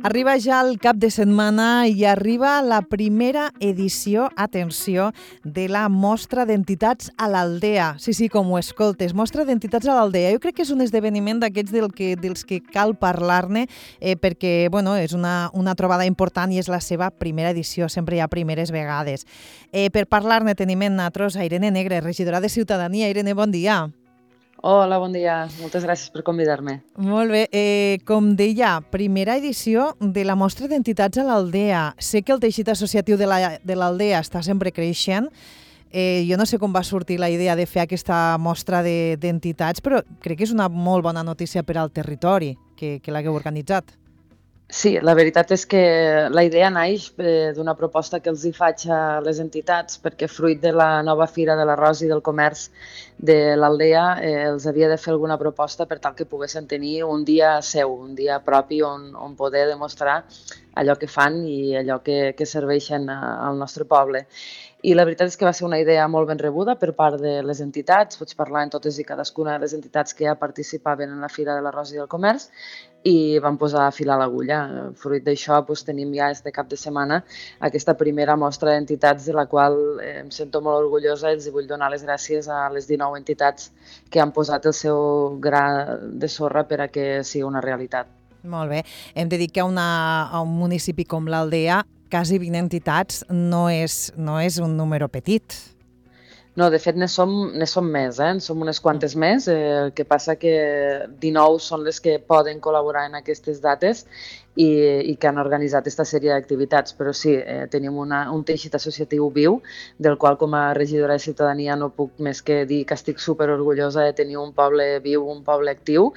Arriba ja el cap de setmana i arriba la primera edició, atenció, de la Mostra d'Entitats a l'Aldea. Sí, com ho escoltes, Mostra d'Entitats a l'Aldea. Jo crec que és un esdeveniment d'aquests dels que cal parlar-ne perquè és una trobada important i és la seva primera edició. Sempre hi ha primeres vegades. Per parlar-ne tenim en nosaltres a Irene Negre, regidora de Ciutadania. Irene, bon dia. Hola, bon dia. Moltes gràcies per convidar-me. Molt bé. Com deia, primera edició de la Mostra d'Entitats a l'Aldea. Sé que el teixit associatiu de l'Aldea està sempre creixent. Jo no sé com va sortir la idea de fer aquesta mostra d'entitats, però crec que és una molt bona notícia per al territori que l'hagueu organitzat. Sí, la veritat és que la idea naix d'una proposta que els hi faig a les entitats, perquè fruit de la nova Fira de l'Arròs i del Comerç de l'Aldea els havia de fer alguna proposta per tal que poguessin tenir un dia seu, un dia propi on poder demostrar allò que fan i allò que serveixen al nostre poble. I la veritat és que va ser una idea molt ben rebuda per part de les entitats. Pots parlar en totes i cadascuna de les entitats que ja participaven en la Fira de l'Arròs i del Comerç i van posar fil a l'agulla. Fruit d'això tenim ja este cap de setmana aquesta primera mostra d'entitats de la qual em sento molt orgullosa i els vull donar les gràcies a les 19 entitats que han posat el seu gra de sorra per a que sigui una realitat. Molt bé. Hem de dir que a un municipi com l'Aldea, quasi 20 entitats no és un número petit. No, de fet, ne som més, en som unes quantes més. El que passa que 19 són les que poden col·laborar en aquestes dates i que han organitzat aquesta sèrie d'activitats. Però sí, tenim un teixit associatiu viu, del qual com a regidora de Ciutadania no puc més que dir que estic superorgullosa de tenir un poble viu, un poble actiu,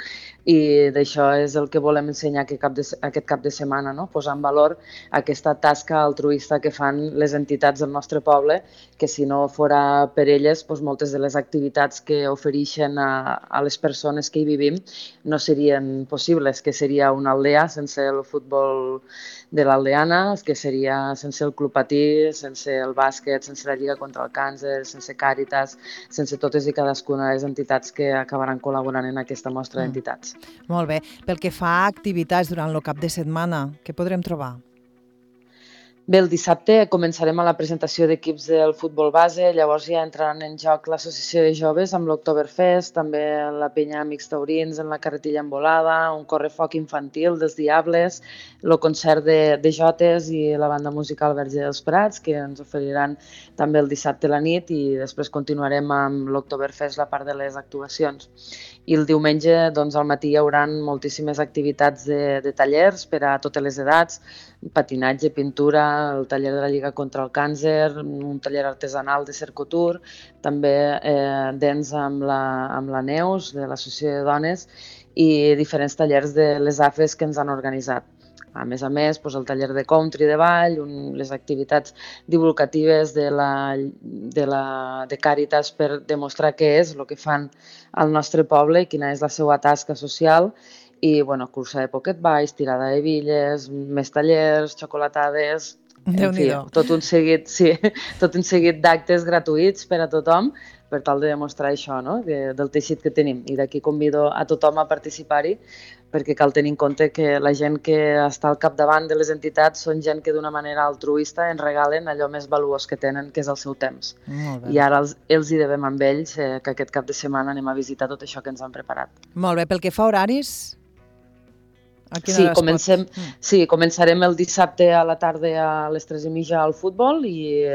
i d'això és el que volem ensenyar aquest cap de setmana, no? Posar en valor aquesta tasca altruista que fan les entitats del nostre poble, que si no fora per elles, moltes de les activitats que ofereixen a les persones que hi vivim no serien possibles, que seria una aldea sense el futbol de l'Aldeana, que seria sense el Club Patí, sense el bàsquet, sense la Lliga contra el Càncer, sense Càritas, sense totes i cadascuna de les entitats que acabaran col·laborant en aquesta mostra d'entitats. Molt bé. Pel que fa a activitats durant el cap de setmana, què podrem trobar? Bé, el dissabte començarem a la presentació d'equips del futbol base, llavors ja entraran en joc l'associació de joves amb l'Oktoberfest, també la penya Amics Taurins en la carretilla envolada, un correfoc infantil dels Diables, el concert de jotes i la banda musical Verge dels Prats, que ens oferiran també el dissabte a la nit, i després continuarem amb l'Oktoberfest la part de les actuacions. I el diumenge, al matí, hi haurà moltíssimes activitats de tallers per a totes les edats, patinatge, pintura, el taller de la Lliga contra el Càncer, un taller artesanal de cercotur, també dents amb la Neus, de l'Associació de Dones, i diferents tallers de les AFES que ens han organitzat. A més, el taller de country de ball, les activitats divulgatives de Càritas per demostrar què és el que fan al nostre poble i quina és la seva tasca social, i cursa de pocket balls, tirada de billes, més tallers, xocolatades, en fi, tot un seguit d'actes gratuïts per a tothom per tal de demostrar això, no? Del teixit que tenim. I d'aquí convido a tothom a participar-hi, perquè cal tenir en compte que la gent que està al capdavant de les entitats són gent que d'una manera altruista ens regalen allò més valuós que tenen, que és el seu temps. I ara els hi devem amb ells que aquest cap de setmana anem a visitar tot això que ens han preparat. Molt bé. Pel que fa a horaris? Sí, començarem el dissabte a la tarda a les 3:30 al futbol i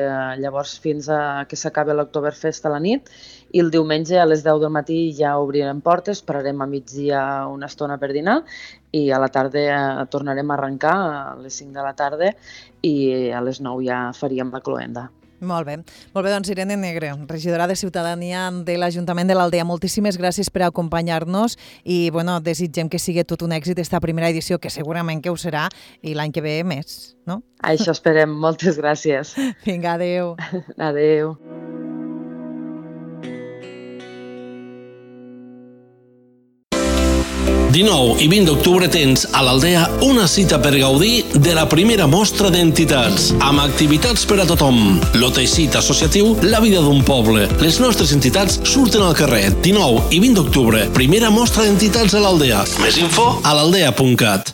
llavors fins a que s'acabi l'Oktoberfest a la nit, i el diumenge a les 10 del matí ja obrirem portes, pararem a migdia una estona per dinar i a la tarda tornarem a arrencar a les 5 de la tarda i a les 9 ja faríem la cloenda. Molt bé. Doncs Irene Negre, regidora de Ciutadania de l'Ajuntament de l'Aldea, moltíssimes gràcies per acompanyar-nos i desitgem que sigui tot un èxit esta primera edició, que segurament que ho serà, i l'any que ve més, no? Això esperem. Moltes gràcies. Vinga, adéu. Adéu. 19 i 20 d'octubre tens a l'Aldea una cita per gaudir de la primera mostra d'entitats, amb activitats per a tothom. Lo teixit associatiu, la vida d'un poble. Les nostres entitats surten al carrer 19 i 20 d'octubre. Primera mostra d'entitats a l'Aldea. Més info a l'aldea.cat.